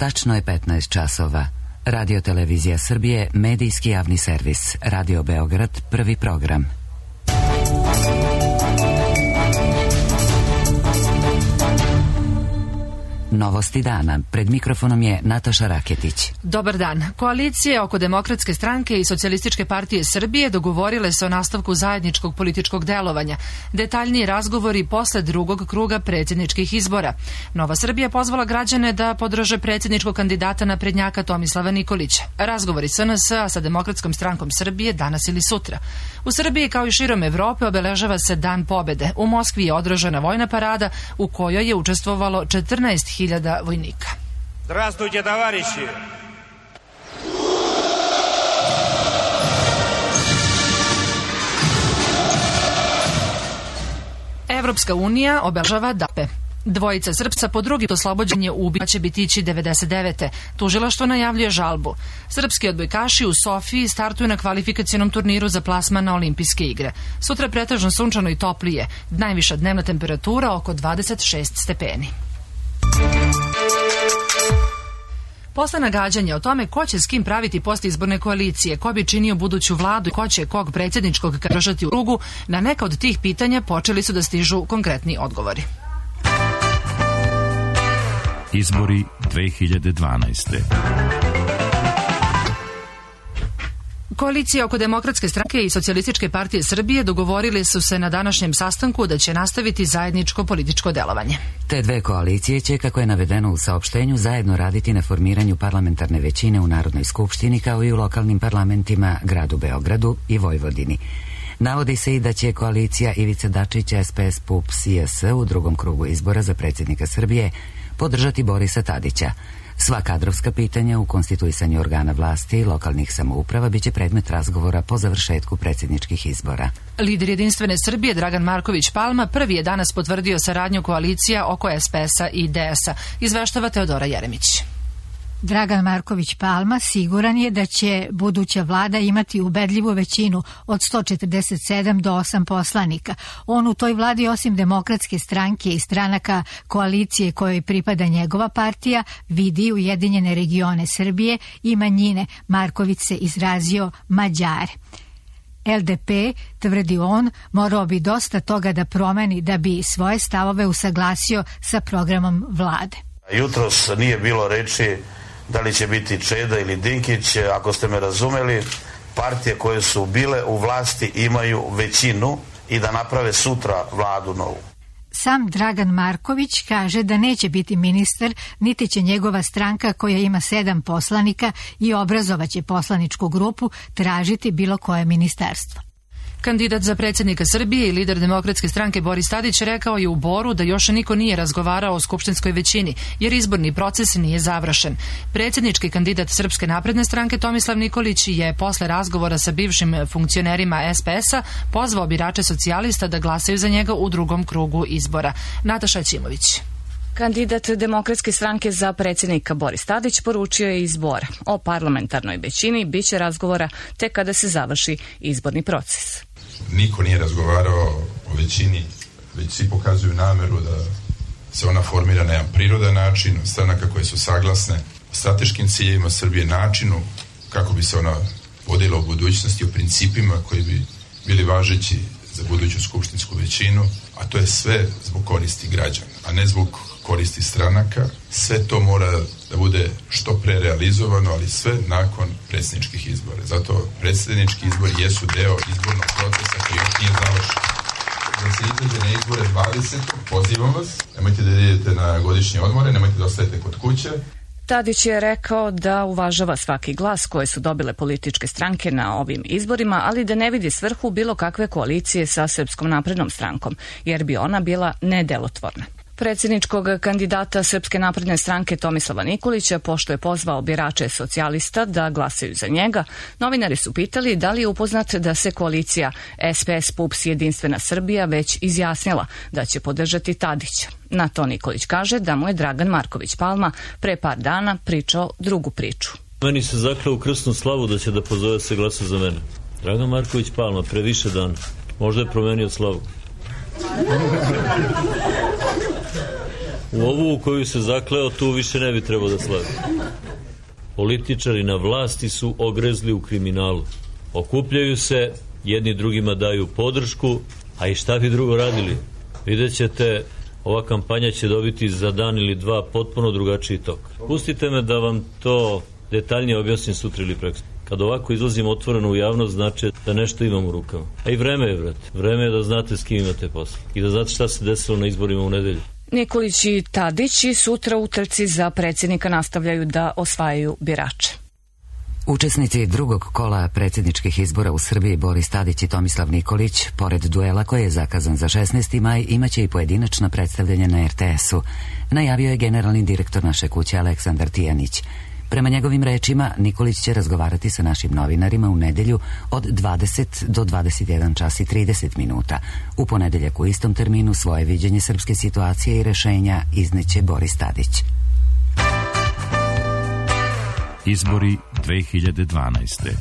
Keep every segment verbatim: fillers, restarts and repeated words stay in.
Tačno je petnaest časova. Radio Televizija Srbije, medijski javni servis. Radio Beograd, prvi program. Novosti dana. Pred mikrofonom je Nataša Raketić. Dobar dan. Koalicije oko Demokratske stranke i Socijalističke partije Srbije dogovorile se o nastavku zajedničkog političkog delovanja. Detaljniji razgovori posle drugog kruga predsjedničkih izbora. Nova Srbija pozvala građane da podrže predsjedničkog kandidata naprednjaka Tomislava Nikolića. Razgovori S N S-a sa Demokratskom strankom Srbije danas ili sutra. U Srbiji kao i širom Evrope obeležava se Dan pobede. U Moskvi je održana vojna parada u kojoj je učestvovalo četrnaest hiljada vojnika. Здравствуйте, товарищи! Evropska unija obeležava dape. Dvojica Srpca po drugi oslobođenje ubica će biti ići devedeset devete. Tužilaštvo najavljuje žalbu. Srpski odbojkaši u Sofiji startuju na kvalifikacionom turniru za plasman na olimpijske igre. Sutra pretežno sunčano i toplije. Najviša dnevna temperatura oko dvadeset šest stepeni. Posle nagađanja o tome ko će s kim praviti postizborne koalicije, ko bi činio buduću vladu i ko će kog predsjedničkog držati u krugu, na neka od tih pitanja počeli su da stižu konkretni odgovori. Izbori dve hiljade dvanaeste. Koalicije oko Demokratske stranke i Socijalističke partije Srbije dogovorili su se na današnjem sastanku da će nastaviti zajedničko političko delovanje. Te dve koalicije će, kako je navedeno u saopštenju, zajedno raditi na formiranju parlamentarne većine u Narodnoj skupštini kao i u lokalnim parlamentima gradu Beogradu i Vojvodini. Navodi se i da će koalicija Ivice Dačića, S P S, P U P S i S u drugom krugu izbora za predsjednika Srbije podržati Borisa Tadića. Sva kadrovska pitanja u konstituisanju organa vlasti i lokalnih samouprava biće predmet razgovora po završetku predsjedničkih izbora. Lider Jedinstvene Srbije Dragan Marković Palma prvi je danas potvrdio saradnju koalicija oko S P S-a i D S-a, izveštava Teodora Jeremić. Dragan Marković Palma siguran je da će buduća vlada imati ubedljivu većinu od sto četrdeset sedam do osam poslanika. On u toj vladi osim Demokratske stranke i stranaka koalicije kojoj pripada njegova partija vidi Ujedinjene regione Srbije i manjine. Marković se izrazio Mađare. L D P, tvrdi on, morao bi dosta toga da promeni da bi svoje stavove usaglasio sa programom vlade. Jutros nije bilo reči da li će biti Čeda ili Dinkić. Ako ste me razumeli, partije koje su bile u vlasti imaju većinu i da naprave sutra vladu novu. Sam Dragan Marković kaže da neće biti ministar, niti će njegova stranka koja ima sedam poslanika i obrazovaće poslaničku grupu tražiti bilo koje ministarstvo. Kandidat za predsjednika Srbije i lider Demokratske stranke Boris Tadić rekao je u Boru da još niko nije razgovarao o skupštinskoj većini, jer izborni proces nije završen. Predsjednički kandidat Srpske napredne stranke Tomislav Nikolić je posle razgovora sa bivšim funkcionerima S P S-a pozvao birače socijalista da glasaju za njega u drugom krugu izbora. Nataša Ćimović. Kandidat Demokratske stranke za predsjednika Boris Tadić poručio je iz Bora. O parlamentarnoj većini biće razgovora tek kada se završi izborni proces. Niko nije razgovarao o većini, već svi pokazuju nameru da se ona formira na jedan prirodan način, stranaka koje su saglasne o strateškim ciljevima Srbije, načinu kako bi se ona vodila u budućnosti, o principima koji bi bili važeći za buduću skupštinsku većinu, a to je sve zbog koristi građana, a ne zbog koristi stranaka. Sve to mora da bude što pre realizovano, ali sve nakon predsjedničkih izbora. Zato predsjednički izbori jesu deo izbornog procesa koji još nije završen. Da se izađe na izbore dvadesetog pozivam vas, nemojte da idete na godišnje odmore, nemojte da ostajete kod kuće. Tadić je rekao da uvažava svaki glas koje su dobile političke stranke na ovim izborima, ali da ne vidi svrhu bilo kakve koalicije sa Srpskom naprednom strankom, jer bi ona bila nedelotvorna. Predsjedničkog kandidata Srpske napredne stranke Tomislava Nikolića, pošto je pozvao birače socijalista da glasaju za njega, novinari su pitali da li je upoznat da se koalicija S P S, P U P S i Jedinstvena Srbija već izjasnila da će podržati Tadića. Na to Nikolić kaže da mu je Dragan Marković Palma pre par dana pričao drugu priču. Meni se zakleo u krsnu slavu da će da pozove se glasa za mene. Dragan Marković Palma pre više dana. Možda je promenio slavu. U ovu u koju se zakleo, tu više ne bi trebao da slavi. Političari na vlasti su ogrezli u kriminalu. Okupljaju se, jedni drugima daju podršku, a i šta bi drugo radili? Vidjet ćete, ova kampanja će dobiti za dan ili dva potpuno drugačiji tok. Pustite me da vam to detaljnije objasnim sutra ili preko. Kad ovako izlazim otvoreno u javnost, znači da nešto imam u rukama. A i vreme je, brate. Vreme je da znate s kim imate posla. I da znate šta se desilo na izborima u nedelju. Nikolić i Tadić i sutra u trci za predsjednika nastavljaju da osvajaju birače. Učesnici drugog kola predsjedničkih izbora u Srbiji Boris Tadić i Tomislav Nikolić, pored duela koji je zakazan za šesnaesti maj, imaće i pojedinačna predstavljanja na er te esu, najavio je generalni direktor naše kuće Aleksandar Tijanić. Prema njegovim rečima, Nikolić će razgovarati sa našim novinarima u nedelju od dvadeset do dvadeset jedan čas i trideset minuta. U ponedeljak u istom terminu svoje viđenje srpske situacije i rešenja izneće Boris Tadić. Izbori dve hiljade dvanaeste.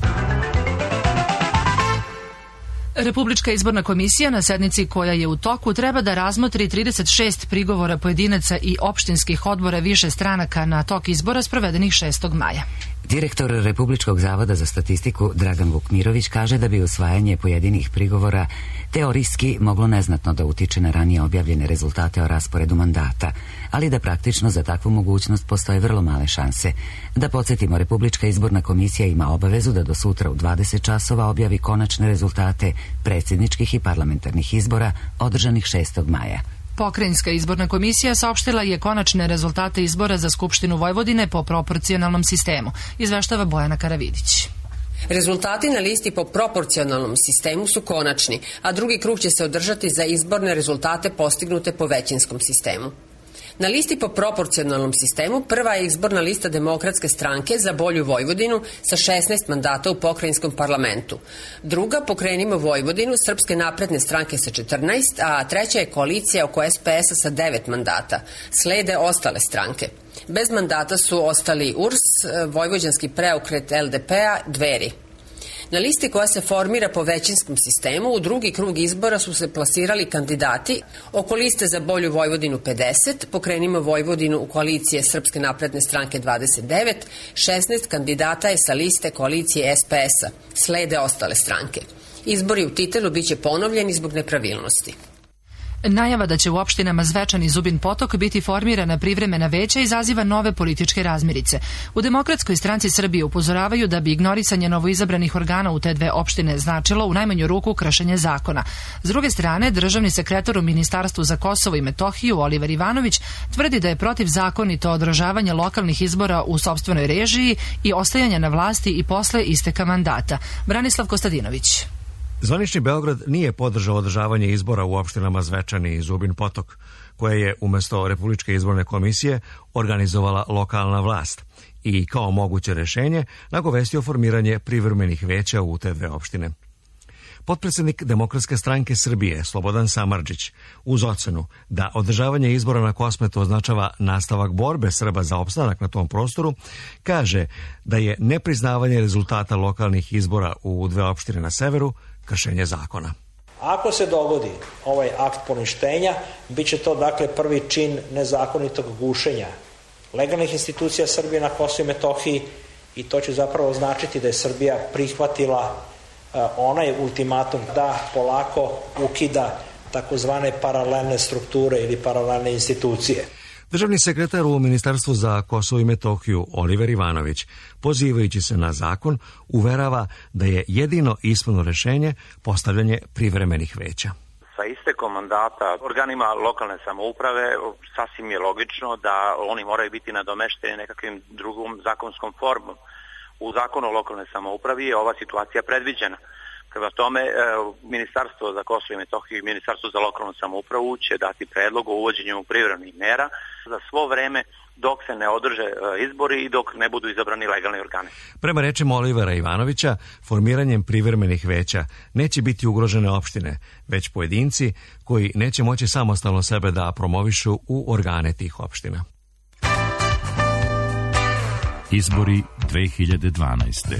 Republička izborna komisija na sednici koja je u toku treba da razmotri trideset šest prigovora pojedinaca i opštinskih odbora više stranaka na tok izbora sprovedenih šestog maja. Direktor Republičkog zavoda za statistiku Dragan Vukmirović kaže da bi usvajanje pojedinih prigovora teorijski moglo neznatno da utiče na ranije objavljene rezultate o rasporedu mandata, ali da praktično za takvu mogućnost postoje vrlo male šanse. Da podsjetimo, Republička izborna komisija ima obavezu da do sutra u dvadeset časova objavi konačne rezultate predsjedničkih i parlamentarnih izbora održanih šestog maja. Pokrajinska izborna komisija saopštila je konačne rezultate izbora za Skupštinu Vojvodine po proporcionalnom sistemu, izveštava Bojana Karavidić. Rezultati na listi po proporcionalnom sistemu su konačni, a drugi krug će se održati za izborne rezultate postignute po većinskom sistemu. Na listi po proporcionalnom sistemu prva je izborna lista Demokratske stranke za bolju Vojvodinu sa šesnaest mandata u pokrajinskom parlamentu. Druga, Pokrenimo Vojvodinu, Srpske napredne stranke sa četrnaest, a treća je koalicija oko es pe esa sa devet mandata. Slede ostale stranke. Bez mandata su ostali u er es, Vojvođanski preokret el de pe-a, Dveri. Na listi koja se formira po većinskom sistemu u drugi krug izbora su se plasirali kandidati oko liste za bolju Vojvodinu pedeset, Pokrenimo Vojvodinu u koalicije Srpske napredne stranke dvadeset devet, šesnaest kandidata je sa liste koalicije es pe esa, slede ostale stranke. Izbori u Titelu biće ponovljeni zbog nepravilnosti. Najava da će u opštinama Zvečan i Zubin Potok biti formirana privremena veća izaziva nove političke razmirice. U Demokratskoj stranci Srbije upozoravaju da bi ignorisanje novoizabranih organa u te dve opštine značilo u najmanju ruku kršenje zakona. S druge strane, državni sekretar u Ministarstvu za Kosovo i Metohiju Oliver Ivanović tvrdi da je protivzakonito održavanje lokalnih izbora u sopstvenoj režiji i ostajanje na vlasti i posle isteka mandata. Branislav Kostadinović. Zvanični Beograd nije podržao održavanje izbora u opštinama Zvečan i Zubin Potok, koje je umesto Republičke izborne komisije organizovala lokalna vlast i kao moguće rešenje nagovestio formiranje privremenih veća u te dve opštine. Potpredsednik Demokratske stranke Srbije Slobodan Samardžić, uz ocenu da održavanje izbora na Kosmetu označava nastavak borbe Srba za opstanak na tom prostoru, kaže da je nepriznavanje rezultata lokalnih izbora u dve opštine na severu kršenje zakona. Ako se dogodi ovaj akt poništenja, bit će to dakle prvi čin nezakonitog gušenja legalnih institucija Srbije na Kosovu i Metohiji i to će zapravo značiti da je Srbija prihvatila uh, onaj ultimatum da polako ukida takozvane paralelne strukture ili paralelne institucije. Državni sekretar u Ministarstvu za Kosovo i Metohiju Oliver Ivanović, pozivajući se na zakon, uverava da je jedino ispravno rešenje postavljanje privremenih veća. Sa istekom mandata organima lokalne samouprave sasvim je logično da oni moraju biti nadomešteni nekakvim drugom zakonskom formom. U zakonu o lokalnoj samoupravi je ova situacija predviđena. Prema tome, Ministarstvo za Kosovo i Metohiju i Ministarstvo za lokalnu samoupravu će dati predlog o uvođenju privremenih mera za svo vreme dok se ne održe izbori i dok ne budu izabrani legalni organi. Prema rečima Olivera Ivanovića, formiranjem privremenih veća neće biti ugrožene opštine, već pojedinci koji neće moći samostalno sebe da promovišu u organe tih opština. Izbori dve hiljade dvanaeste.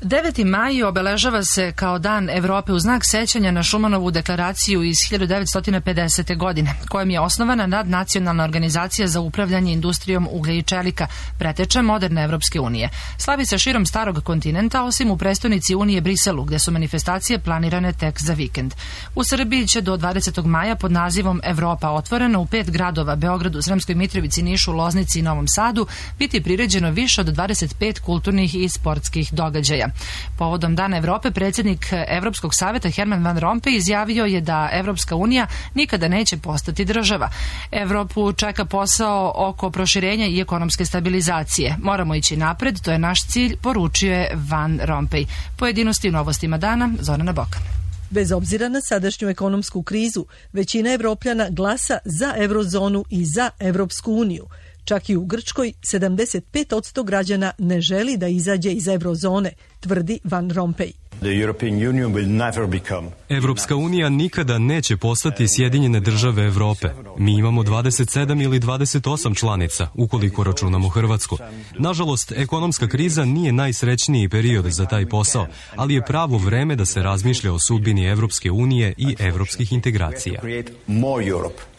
deveti maj obeležava se kao Dan Evrope u znak sećanja na Šumanovu deklaraciju iz hiljadu devetsto pedesete. godine, kojom je osnovana nadnacionalna organizacija za upravljanje industrijom uglja i čelika, preteča moderne Evropske unije. Slavi se širom starog kontinenta, osim u prestonici Unije Briselu, gde su manifestacije planirane tek za vikend. U Srbiji će do dvadesetog maja pod nazivom Evropa otvorena u pet gradova, Beogradu, Sremskoj Mitrovici, Nišu, Loznici i Novom Sadu, biti priređeno više od dvadeset pet kulturnih i sportskih događaja. Povodom Dana Evrope, predsjednik Evropskog saveta Herman Van Rompuy izjavio je da Evropska unija nikada neće postati država. Evropu čeka posao oko proširenja i ekonomske stabilizacije. Moramo ići napred, to je naš cilj, poručio je Van Rompuy. Pojedinosti u novostima dana, Zorana Bokan. Bez obzira na sadašnju ekonomsku krizu, većina Evropljana glasa za eurozonu i za Evropsku uniju. Čak i u Grčkoj sedamdeset pet posto građana ne želi da izađe iz eurozone, tvrdi Van Rompuy. Evropska unija nikada neće postati Sjedinjene države Evrope. Mi imamo dvadeset sedam ili dvadeset osam članica, ukoliko računamo Hrvatsku. Nažalost, ekonomska kriza nije najsrećniji period za taj posao, ali je pravo vreme da se razmišlja o sudbini Evropske unije i evropskih integracija.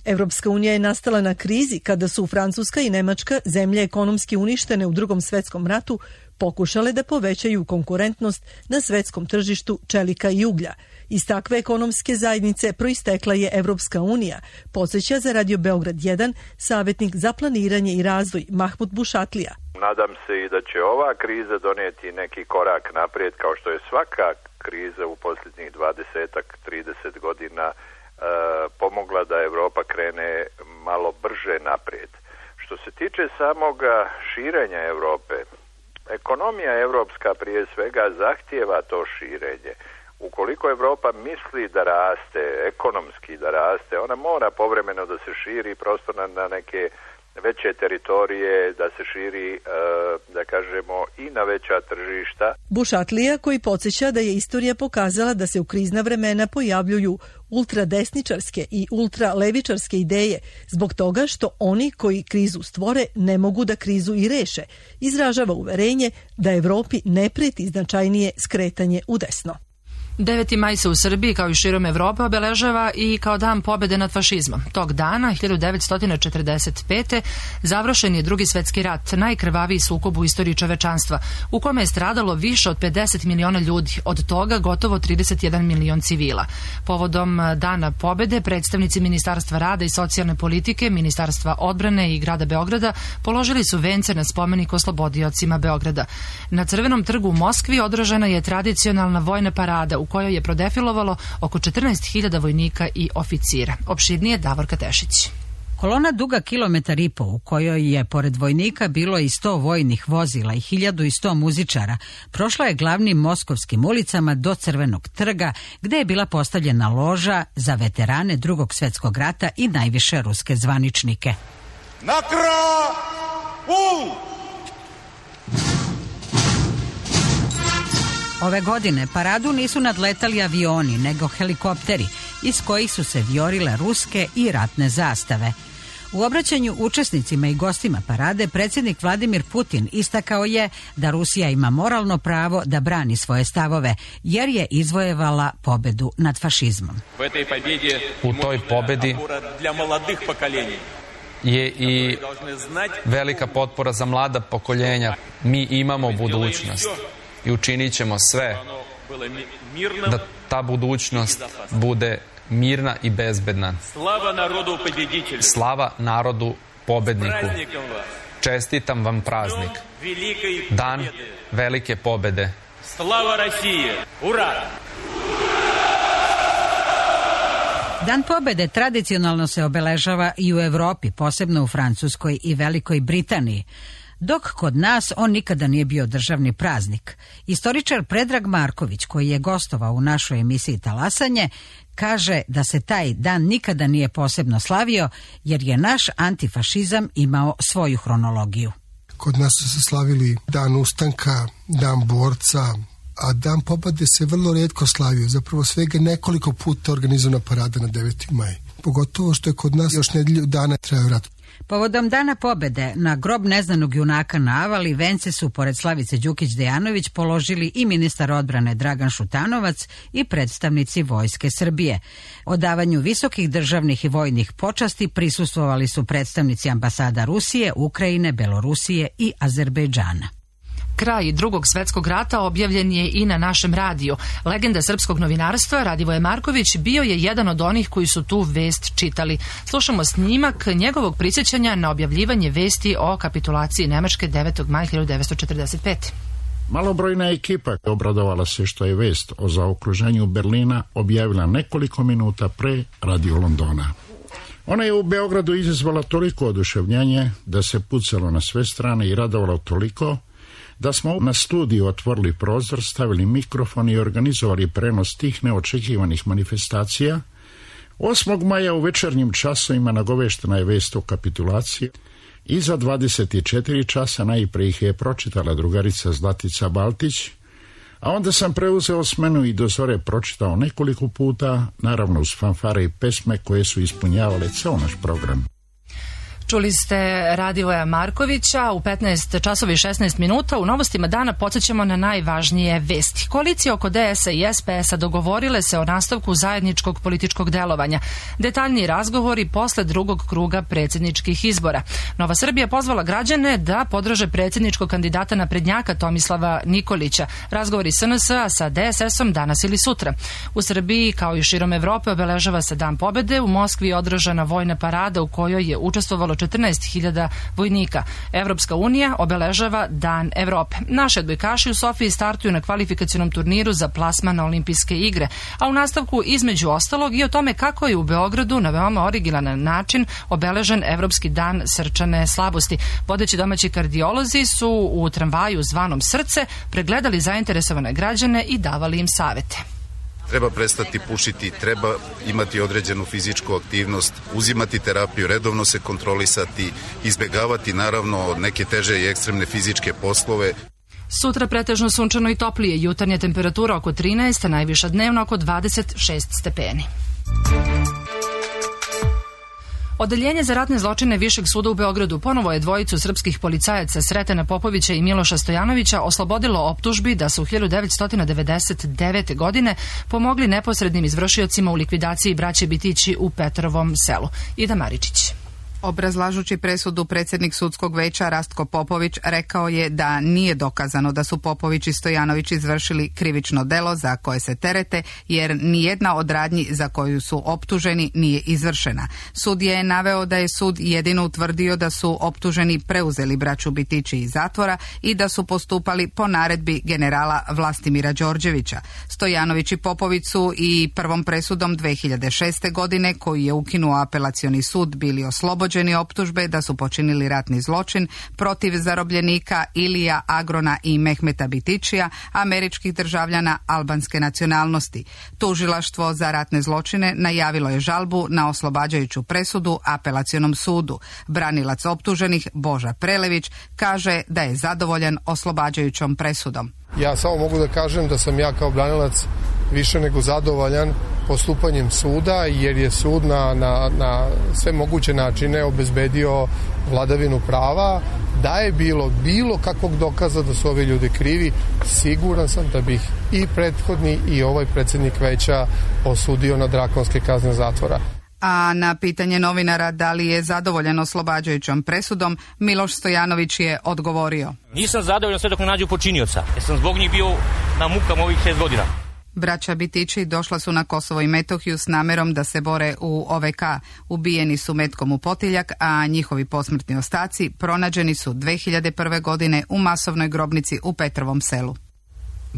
Evropska unija je nastala na krizi kada su Francuska i Nemačka, zemlje ekonomski uništene u Drugom svetskom ratu, pokušale da povećaju konkurentnost na svetskom tržištu čelika i uglja. Iz takve ekonomske zajednice proistekla je Evropska unija, podsjeća za Radio Beograd jedan savjetnik za planiranje i razvoj Mahmud Bušatlija. Nadam se i da će ova kriza donijeti neki korak naprijed, kao što je svaka kriza u posljednjih dvadeset do trideset godina e, pomogla da Evropa krene malo brže naprijed. Što se tiče samoga širenja Evrope, ekonomija evropska prije svega zahtijeva to širenje. Ukoliko Evropa misli da raste, ekonomski da raste, ona mora povremeno da se širi prosto na, na neke veće teritorije, da se širi, e, da kažemo, i na veća tržišta. Bušatlija, koji podsjeća da je istorija pokazala da se u krizna vremena pojavljuju ultradesničarske i ultralevičarske ideje zbog toga što oni koji krizu stvore ne mogu da krizu i reše, izražava uverenje da Evropi ne preti značajnije skretanje u desno. deveti maj se u Srbiji, kao i širom Evrope, obeležava i kao dan pobjede nad fašizmom. Tog dana, hiljadu devetsto četrdeset pete. završen je Drugi svetski rat, najkrvaviji sukob u istoriji čovečanstva, u kome je stradalo više od pedeset miliona ljudi, od toga gotovo trideset jedan milion civila. Povodom Dana pobjede, predstavnici Ministarstva rada i socijalne politike, Ministarstva odbrane i grada Beograda položili su vence na spomenik oslobodiocima Beograda. Na Crvenom trgu u Moskvi održana je tradicionalna vojna parada u kojoj je prodefilovalo oko četrnaest hiljada vojnika i oficira. Opširnije Davorka Tešić. Kolona duga kilometar i po, u kojoj je pored vojnika bilo i sto vojnih vozila i hiljadu i sto muzičara, prošla je glavnim moskovskim ulicama do Crvenog trga, gde je bila postavljena loža za veterane Drugog svjetskog rata i najviše ruske zvaničnike. Nakra! U! Ove godine paradu nisu nadletali avioni, nego helikopteri, iz kojih su se viorile ruske i ratne zastave. U obraćanju učesnicima i gostima parade predsjednik Vladimir Putin istakao je da Rusija ima moralno pravo da brani svoje stavove, jer je izvojevala pobedu nad fašizmom. U toj pobedi je i velika potpora za mlada pokoljenja. Mi imamo budućnost i učinit ćemo sve da ta budućnost bude mirna i bezbedna. Slava narodu pobedniku. Čestitam vam praznik. Dan velike pobede. Slava Rusije. Ura! Dan pobede tradicionalno se obeležava i u Evropi, posebno u Francuskoj i Velikoj Britaniji, dok kod nas on nikada nije bio državni praznik. Istoričar Predrag Marković, koji je gostovao u našoj emisiji Talasanje, kaže da se taj dan nikada nije posebno slavio, jer je naš antifašizam imao svoju hronologiju. Kod nas su se slavili dan ustanka, dan borca, a dan pobede se vrlo retko slavio. Zapravo svega nekoliko puta organizovana parada na deveti maj. Pogotovo što je kod nas još nedelju dana trajao rat. Povodom Dana pobede na grob neznanog junaka na Avali vence su pored Slavice Đukić-Dejanović položili i ministar odbrane Dragan Šutanovac i predstavnici Vojske Srbije. Odavanju visokih državnih i vojnih počasti prisustvovali su predstavnici ambasada Rusije, Ukrajine, Belorusije i Azerbejdžana. Kraj Drugog svetskog rata objavljen je i na našem radiju. Legenda srpskog novinarstva Radivoje Marković bio je jedan od onih koji su tu vest čitali. Slušamo snimak njegovog prisjećanja na objavljivanje vesti o kapitulaciji Nemačke devetog maja hiljadu devetsto četrdeset pete. Malobrojna ekipa obradovala se što je vest o zaokruženju Berlina objavila nekoliko minuta pre radio Londona. Ona je u Beogradu izazvala toliko oduševljenje da se pucalo na sve strane i radovalo toliko da smo na studiju otvorili prozor, stavili mikrofon i organizovali prenos tih neočekivanih manifestacija. osmog maja u večernjim časovima nagoveštena je vest o kapitulaciji i za dvadeset četiri časa najpre ih je pročitala drugarica Zlatica Baltić, a onda sam preuzeo smenu i do zore pročitao nekoliko puta, naravno uz fanfare i pesme koje su ispunjavale ceo naš program. Čuli ste Radivoja Markovića u petnaest časova i šesnaest minuta. U novostima dana podsjećamo na najvažnije vesti. Koalicije oko D S-a i S P S-a dogovorile se o nastavku zajedničkog političkog delovanja. Detaljniji razgovori posle drugog kruga predsjedničkih izbora. Nova Srbija pozvala građane da podrže predsjedničkog kandidata naprednjaka Tomislava Nikolića. Razgovori S N S-a sa D S S-om danas ili sutra. U Srbiji, kao i širom Evrope, obeležava se Dan pobede. U Moskvi je održana vojna parada u kojoj je učestvovalo četrnaest hiljada vojnika. Evropska unija obeležava Dan Evrope. Naše odbojkaši u Sofiji startuju na kvalifikacionom turniru za plasman na olimpijske igre, a u nastavku između ostalog i o tome kako je u Beogradu na veoma originalan način obeležen Evropski dan srčane slabosti. Vodeći domaći kardiolozi su u tramvaju zvanom Srce pregledali zainteresovane građane i davali im savete. Treba prestati pušiti, treba imati određenu fizičku aktivnost, uzimati terapiju, redovno se kontrolisati, izbjegavati naravno neke teže i ekstremne fizičke poslove. Sutra pretežno sunčano i toplije, jutarnja temperatura oko trinaest, a najviša dnevno oko dvadeset šest stepeni. Odeljenje za ratne zločine Višeg suda u Beogradu ponovo je dvojicu srpskih policajaca Sretena Popovića i Miloša Stojanovića oslobodilo optužbi da su u hiljadu devetsto devedeset devete. godine pomogli neposrednim izvršiocima u likvidaciji braće Bitići u Petrovom selu. Ida Maričić. Obrazlažući presudu, predsjednik sudskog veća Rastko Popović rekao je da nije dokazano da su Popović i Stojanović izvršili krivično delo za koje se terete, jer nijedna od radnji za koju su optuženi nije izvršena. Sud je naveo da je sud jedino utvrdio da su optuženi preuzeli braću Bitići iz zatvora i da su postupali po naredbi generala Vlastimira Đorđevića. Stojanović i Popović su i prvom presudom dve hiljade šeste. godine, koju je ukinuo apelacioni sud, bili oslobođeni optužbe da su počinili ratni zločin protiv zarobljenika Ilija Agrona i Mehmeta Bitićija, američkih državljana albanske nacionalnosti. Tužilaštvo za ratne zločine najavilo je žalbu na oslobađajuću presudu apelacionom sudu. Branilac optuženih Boža Prelević kaže da je zadovoljan oslobađajućom presudom. Ja samo mogu da kažem da sam ja kao branilac više nego zadovoljan postupanjem suda, jer je sud na, na, na sve moguće načine obezbedio vladavinu prava. Da je bilo bilo kakvog dokaza da su ovi ljudi krivi, siguran sam da bih i prethodni i ovaj predsjednik veća osudio na drakonske kazne zatvora. A na pitanje novinara da li je zadovoljan oslobađajućom presudom, Miloš Stojanović je odgovorio: Nisam zadovoljan sve dok ne nađu počinioca, jer sam zbog njih bio na mukama ovih šest godina. Braća Bitići došla su na Kosovo i Metohiju s namerom da se bore u O V K. Ubijeni su metkom u potiljak, a njihovi posmrtni ostaci pronađeni su dve hiljade prve. godine u masovnoj grobnici u Petrovom selu.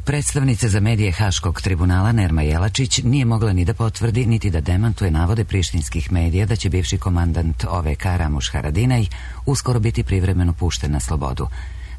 Predstavnica za medije Haškog tribunala Nerma Jelačić nije mogla ni da potvrdi niti da demantuje navode prištinskih medija da će bivši komandant O V K Ramuš Haradinaj uskoro biti privremeno pušten na slobodu.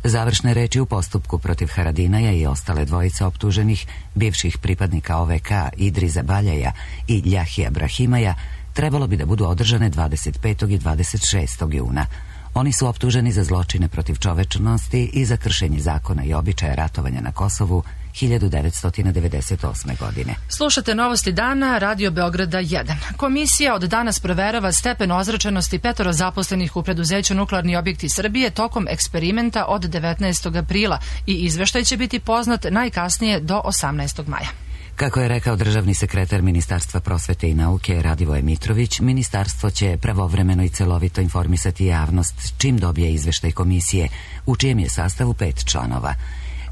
Završne reči u postupku protiv Haradinaja i ostale dvojice optuženih, bivših pripadnika O V K Idriza Baljaja i Ljahija Brahimaja, trebalo bi da budu održane dvadeset petog i dvadeset šestog juna. Oni su optuženi za zločine protiv čovečnosti i za kršenje zakona i običaja ratovanja na Kosovu hiljadu devetsto devedeset osme. godine. Slušate novosti dana, Radio Beograda jedan. Komisija od danas proverava stepen ozračenosti petoro zaposlenih u preduzeću Nuklearni objekti Srbije tokom eksperimenta od devetnaestog aprila i izveštaj će biti poznat najkasnije do osamnaestog maja. Kako je rekao državni sekretar Ministarstva prosvete i nauke Radivoje Mitrović, ministarstvo će pravovremeno i celovito informisati javnost čim dobije izveštaj komisije, u čijem je sastavu pet članova.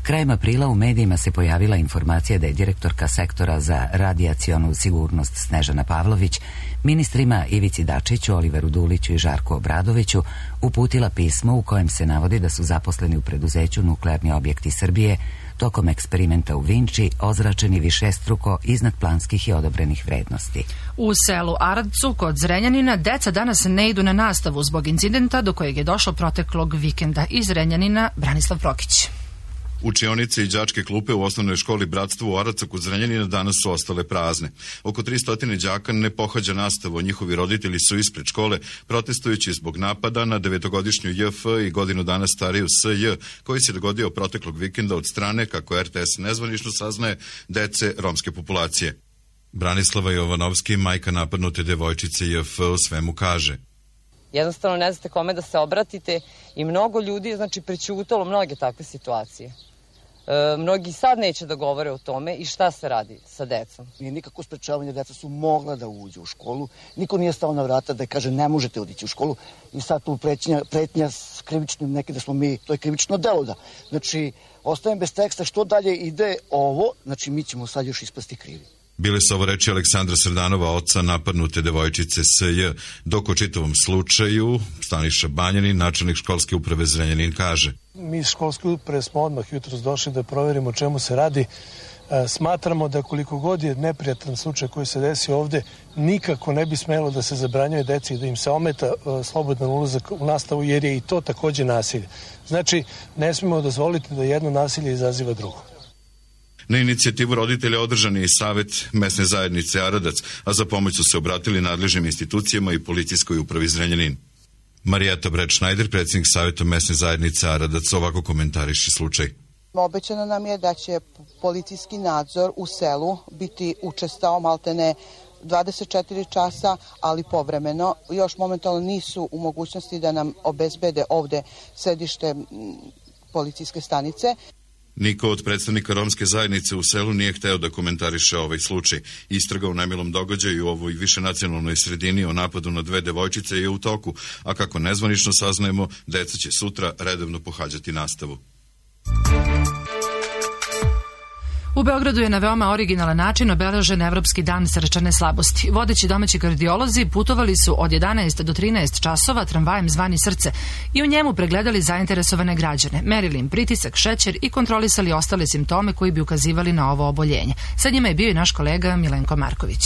Krajem aprila u medijima se pojavila informacija da je direktorka sektora za radijacionu sigurnost Snežana Pavlović ministrima Ivici Dačiću, Oliveru Duliću i Žarku Obradoviću uputila pismo u kojem se navodi da su zaposleni u preduzeću Nuklearni objekti Srbije tokom eksperimenta u Vinči ozračeni višestruko iznad planskih i odobrenih vrednosti. U selu Aradcu kod Zrenjanina deca danas ne idu na nastavu zbog incidenta do kojeg je došlo proteklog vikenda. Iz Zrenjanina Branislav Prokić. Učionice i đačke klupe u osnovnoj školi Bratstvo u Aradcu kod Zrenjanina danas su ostale prazne. Oko tristo đaka ne pohađa nastavu, njihovi roditelji su ispred škole protestujući zbog napada na devetogodišnju J F i godinu dana stariju S J, koji se dogodio proteklog vikenda od strane, kako R T S nezvanično saznaje, dece romske populacije. Branislava Jovanovski, majka napadnute devojčice J F, u svemu kaže: Jednostavno ne znate kome da se obratite i mnogo ljudi, znači, prećutalo mnoge takve situacije. E, mnogi sad neće da govore o tome i šta se radi sa decom. Nije nikako sprečavanje, deca su mogla da uđu u školu, niko nije stao na vrata da kaže ne možete odići u školu i sad tu pretnja, pretnja s krivičnim, neki da smo mi, to je krivično delo da. Znači, ostajem bez teksta, što dalje ide ovo, znači mi ćemo sad još ispasti krivi. Bile su ovo reči Aleksandra Srdanova, oca napadnute devojčice S J, dok o čitavom slučaju Staniša Banjanin, načelnik školske uprave Zrenjanin, kaže: Mi iz školske uprave smo odmah jutros došli da proverimo o čemu se radi. Smatramo da koliko god je neprijatan slučaj koji se desi ovde, nikako ne bi smelo da se zabranjuje deci i da im se ometa slobodan ulazak u nastavu, jer je i to takođe nasilje. Znači, ne smemo dozvoliti da jedno nasilje izaziva drugo. Na inicijativu roditelja održan je i Savet mesne zajednice Aradac, a za pomoć su se obratili nadležnim institucijama i policijskoj upravi Zrenjanin. Marijeta Breć-Šnajder, predsjednik Saveta mesne zajednice Aradac, ovako komentariše slučaj. Obećano nam je da će policijski nadzor u selu biti učestao maltene dvadeset četiri časa, ali povremeno. Još momentalno nisu u mogućnosti da nam obezbede ovde sedište policijske stanice. Niko od predstavnika romske zajednice u selu nije hteo da komentariše ovaj slučaj. Istraga u nemilom događaju u ovoj višenacionalnoj sredini o napadu na dve devojčice je u toku, a kako nezvanično saznajemo, deca će sutra redovno pohađati nastavu. U Beogradu je na veoma originalan način obeležen Evropski dan srčane slabosti. Vodeći domaći kardiolozi putovali su od jedanaest do trinaest časova tramvajem zvani Srce i u njemu pregledali zainteresovane građane, merili im pritisak, šećer i kontrolisali ostale simptome koji bi ukazivali na ovo oboljenje. Sa njima je bio i naš kolega Milenko Marković.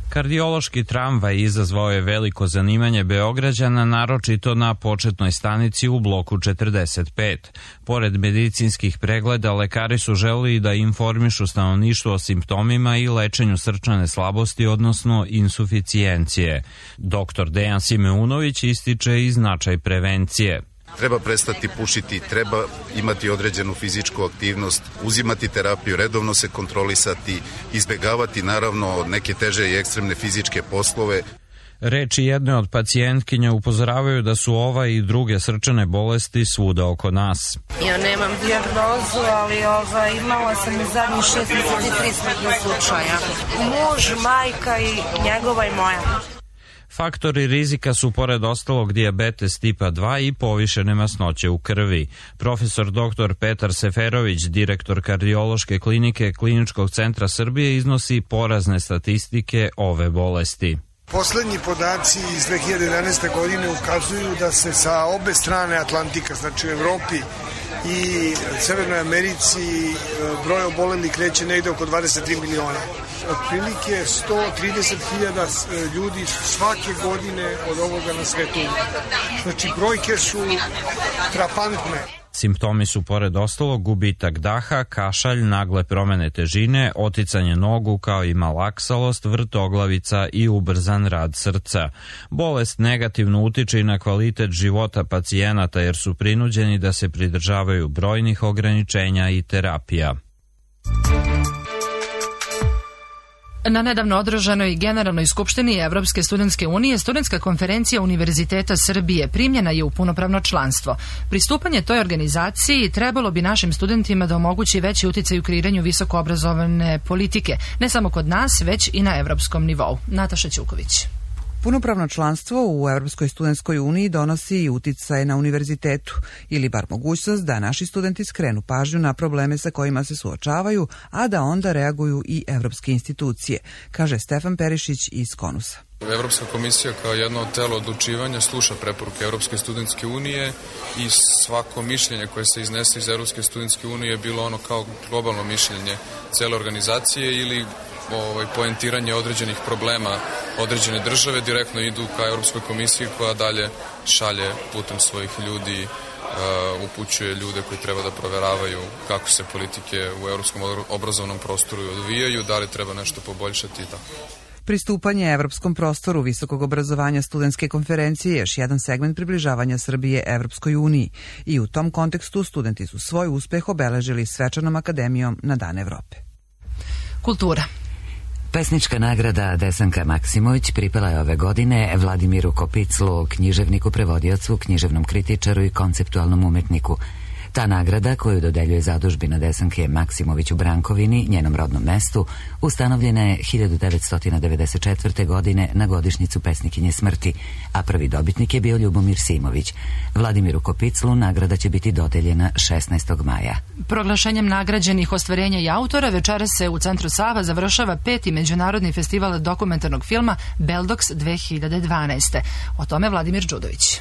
Kardiološki tramvaj izazvao je veliko zanimanje Beograđana, naročito na početnoj stanici u bloku četrdeset pet. Pored medicinskih pregleda, lekari su želeli da informišu stanovništvo o simptomima i lečenju srčane slabosti, odnosno insuficijencije. Doktor Dejan Simeunović ističe i značaj prevencije. Treba prestati pušiti, treba imati određenu fizičku aktivnost, uzimati terapiju, redovno se kontrolisati, izbegavati naravno neke teže i ekstremne fizičke poslove. Reči jedne od pacijentkinja upozoravaju da su ova i druge srčane bolesti svuda oko nas. Ja nemam dijagnozu, ali ova, imala sam i zadnjih šest meseci tri smrtna slučaja. Muž, majka i njegova i moja. Faktori rizika su pored ostalog dijabetes tipa dva i povišene masnoće u krvi. Profesor doktor Petar Seferović, direktor kardiološke klinike Kliničkog centra Srbije, iznosi porazne statistike ove bolesti. Poslednji podaci iz dve hiljade jedanaeste. godine ukazuju da se sa obe strane Atlantika, znači u Evropi i Severnoj Americi, broj obolelih kreće negde oko dvadeset tri miliona. Otprilike sto trideset hiljada ljudi svake godine od ovoga na svetu. Znači brojke su frapantne. Simptomi su pored ostalog gubitak daha, kašalj, nagle promene težine, oticanje nogu kao i malaksalost, vrtoglavica i ubrzan rad srca. Bolest negativno utiče i na kvalitet života pacijenata jer su prinuđeni da se pridržavaju brojnih ograničenja i terapija. Na nedavno održanoj Generalnoj skupštini Evropske studentske unije Studentska konferencija Univerziteta Srbije primljena je u punopravno članstvo. Pristupanje toj organizaciji trebalo bi našim studentima da omogući veći uticaj u kreiranju visokoobrazovane politike, ne samo kod nas, već i na evropskom nivou. Nataša Ćuković. Punopravno članstvo u Evropskoj studentskoj uniji donosi i uticaj na univerzitetu, ili bar mogućnost da naši studenti skrenu pažnju na probleme sa kojima se suočavaju, a da onda reaguju i evropske institucije, kaže Stefan Perišić iz Konusa. Evropska komisija kao jedno od telo odlučivanja sluša preporuke Evropske studentske unije i svako mišljenje koje se iznese iz Evropske studentske unije je bilo ono kao globalno mišljenje cele organizacije ili ovaj, poentiranje određenih problema određene države direktno idu ka Europskoj komisiji koja dalje šalje putem svojih ljudi, uh, upućuje ljude koji treba da proveravaju kako se politike u evropskom obrazovnom prostoru odvijaju, da li treba nešto poboljšati i tako. Pristupanje evropskom prostoru visokog obrazovanja studentske konferencije je još jedan segment približavanja Srbije Evropskoj uniji i u tom kontekstu studenti su svoj uspeh obeležili svečanom akademijom na Dan Evrope. Kultura. Pesnička nagrada Desanka Maksimović pripala je ove godine Vladimiru Kopiclu, književniku, prevodiocu, književnom kritičaru i konceptualnom umetniku. Ta nagrada, koju dodeljuje zadužbina Desanke Maksimović u Brankovini, njenom rodnom mestu, ustanovljena je hiljadu devetsto devedeset četvrte. godine na godišnjicu pesnikinje smrti, a prvi dobitnik je bio Ljubomir Simović. Vladimiru Kopiclu nagrada će biti dodeljena šesnaestog maja. Proglašenjem nagrađenih ostvarenja i autora večeras se u Centru Sava završava peti međunarodni festival dokumentarnog filma Beldox dve hiljade dvanaeste. O tome Vladimir Đudović.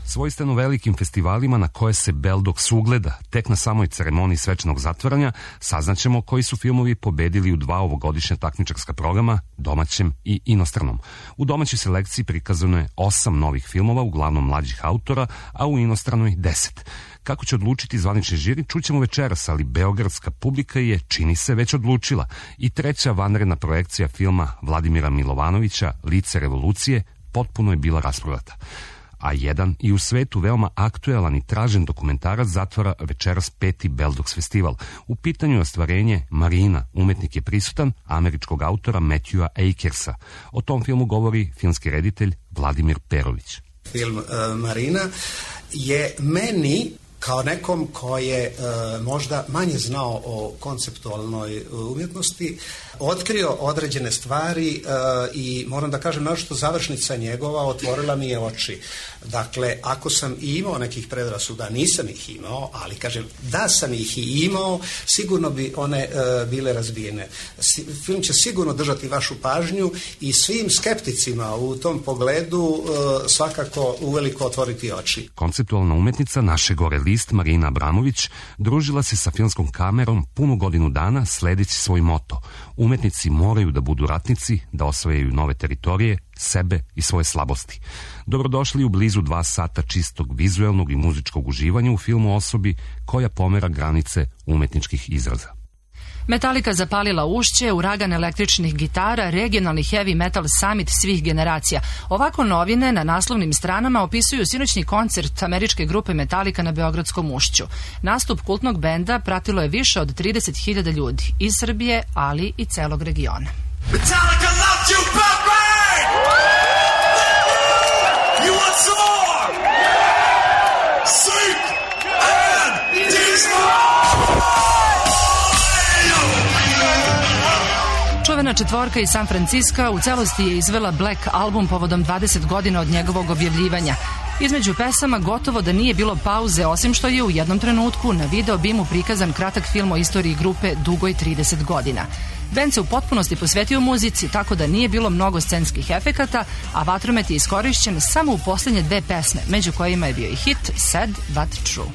Svojstveno velikim festivalima na koje se Beldox ugleda, tek na samoj ceremoniji svečanog zatvaranja, saznaćemo koji su filmovi pobedili u dva ovogodišnja takmičarska programa, domaćem i inostranom. U domaćoj selekciji prikazano je osam novih filmova, uglavnom mlađih autora, a u inostranoj deset. Kako će odlučiti zvanični žiri, čućemo večeras, ali beogradska publika je, čini se, već odlučila. I treća vanredna projekcija filma Vladimira Milovanovića, Lice revolucije, potpuno je bila rasprodata. A jedan i u svetu veoma aktuelan i tražen dokumentarac zatvara večeras peti Beldox festival. U pitanju je ostvarenje Marina, umetnik je prisutan, američkog autora Matthewa Akersa. O tom filmu govori filmski reditelj Vladimir Perović. Film uh, Marina je meni, kao nekom ko je e, možda manje znao o konceptualnoj umjetnosti, otkrio određene stvari e, i moram da kažem našto završnica njegova otvorila mi je oči. Dakle, ako sam i imao nekih predrasuda, nisam ih imao, ali kažem da sam ih i imao, sigurno bi one e, bile razbijene. Si, film će sigurno držati vašu pažnju i svim skepticima u tom pogledu e, svakako uveliko otvoriti oči. Konceptualna umetnica naše gore list Marina Abramović družila se sa filmskom kamerom punu godinu dana sledeći svoj moto. Umetnici moraju da budu ratnici, da osvajaju nove teritorije, sebe i svoje slabosti. Dobrodošli u blizu dva sata čistog vizuelnog i muzičkog uživanja u filmu osobi koja pomera granice umetničkih izraza. Metallica zapalila ušće, uragan električnih gitara, regionalni heavy metal summit svih generacija. Ovako novine na naslovnim stranama opisuju sinoćni koncert američke grupe Metallica na Beogradskom ušću. Nastup kultnog benda pratilo je više od trideset hiljada ljudi iz Srbije, ali i celog regiona. Metallica loves you, baby! You want some more? Sleep and destroy! Čuvena četvorka iz San Franciska u celosti je izvela Black album povodom dvadeset godina od njegovog objavljivanja. Između pesama gotovo da nije bilo pauze, osim što je u jednom trenutku na video bimu prikazan kratak film o istoriji grupe dugoj trideset godina. Bend se u potpunosti posvetio muzici, tako da nije bilo mnogo scenskih efekata, a vatromet je iskorišćen samo u poslednje dve pesme, među kojima je bio i hit Sad But True.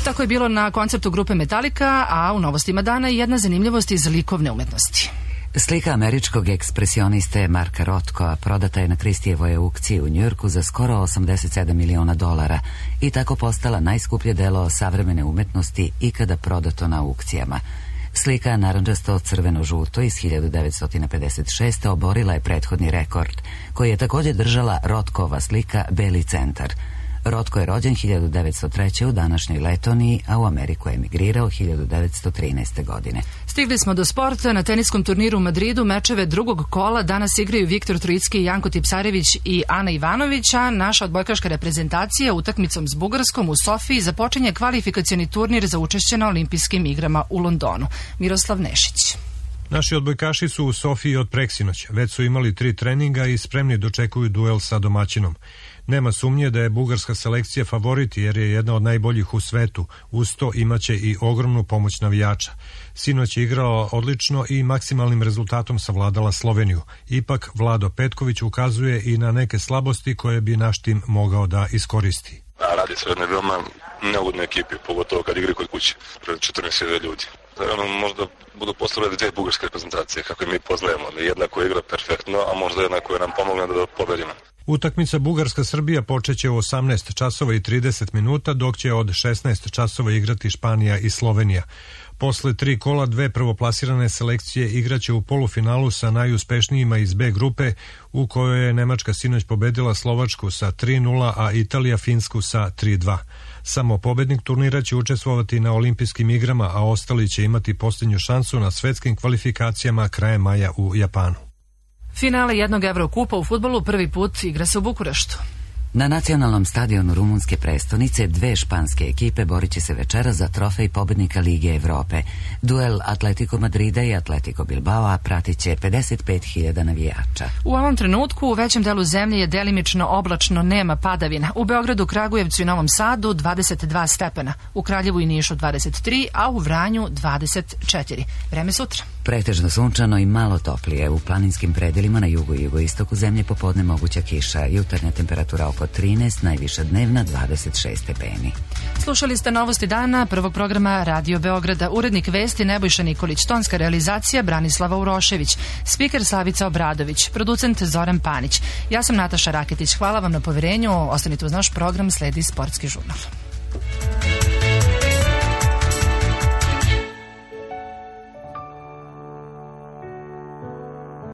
Tako je bilo na koncertu grupe Metallica, a u novostima dana jedna zanimljivost iz likovne umetnosti. Slika američkog ekspresioniste Marka Rothkoa prodata je na Kristijevoj aukciji u Njujorku za skoro osamdeset sedam miliona dolara i tako postala najskuplje delo savremene umetnosti ikada prodato na aukcijama. Slika narandžasto crveno-žuto iz hiljadu devetsto pedeset šeste. oborila je prethodni rekord, koji je također držala Rothkova slika Beli centar. Rotko je rođen hiljadu devetsto treće. u današnjoj Letoniji, a u Ameriku je emigrirao hiljadu devetsto trinaeste. godine. Stigli smo do sporta. Na teniskom turniru u Madridu mečeve drugog kola danas igraju Viktor Trojicki, Janko Tipsarević i Ana Ivanović, a naša odbojkaška reprezentacija utakmicom s Bugarskom u Sofiji započinje kvalifikacioni turnir za učešće na olimpijskim igrama u Londonu. Miroslav Nešić. Naši odbojkaši su u Sofiji od preksinoć. Već su imali tri treninga i spremni dočekuju duel sa domaćinom. Nema sumnje da je bugarska selekcija favorit jer je jedna od najboljih u svetu. Uz to imaće i ogromnu pomoć navijača. Sinoć je igrala odlično i maksimalnim rezultatom savladala Sloveniju. Ipak Vlado Petković ukazuje i na neke slabosti koje bi naš tim mogao da iskoristi. A radi se o jednoj veoma neugodnoj ekipi, pogotovo kad igri kod kuće, pred četrnaest hiljada ljudi. Ono, možda budu postavljene dve bugarske reprezentacije, kako mi poznajemo. Jedna koja igra perfektno, a možda jedna koja nam pomogne da pobedimo. Utakmica Bugarska-Srbija počeće u osamnaest časova i trideset minuta, dok će od šesnaest časova igrati Španija i Slovenija. Posle tri kola dve prvoplasirane selekcije igraće u polufinalu sa najuspešnijima iz B grupe, u kojoj je Nemačka sinoć pobedila Slovačku sa tri nula, a Italija Finsku sa tri dva. Samo pobednik turnira će učestvovati na olimpijskim igrama, a ostali će imati posljednju šansu na svetskim kvalifikacijama krajem maja u Japanu. Finale jednog Evrokupa u fudbalu prvi put igra se u Bukureštu. Na nacionalnom stadionu rumunske prestonice dve španske ekipe borit će se večera za trofej pobednika Lige Evrope. Duel Atletico Madrida i Atletico Bilbao pratit će pedeset pet hiljada navijača. U ovom trenutku u većem delu zemlje je delimično oblačno, nema padavina. U Beogradu, Kragujevcu i Novom Sadu dvadeset dva stepena, u Kraljevu i Nišu dvadeset tri, a u Vranju dvadeset četiri. Vreme sutra. Pretežno sunčano i malo toplije. U planinskim predelima na jugu i jugoistoku zemlje popodne moguća kiša. Jutarnja temperatura oko trinaest, najviša dnevna dvadeset šest stepeni. Slušali ste novosti dana prvog programa Radio Beograda. Urednik vesti Nebojša Nikolić, tonska realizacija Branislava Urošević, spiker Slavica Obradović, producent Zoran Panić. Ja sam Nataša Raketić. Hvala vam na poverenju. Ostanite uz naš program, sledi Sportski žurnal.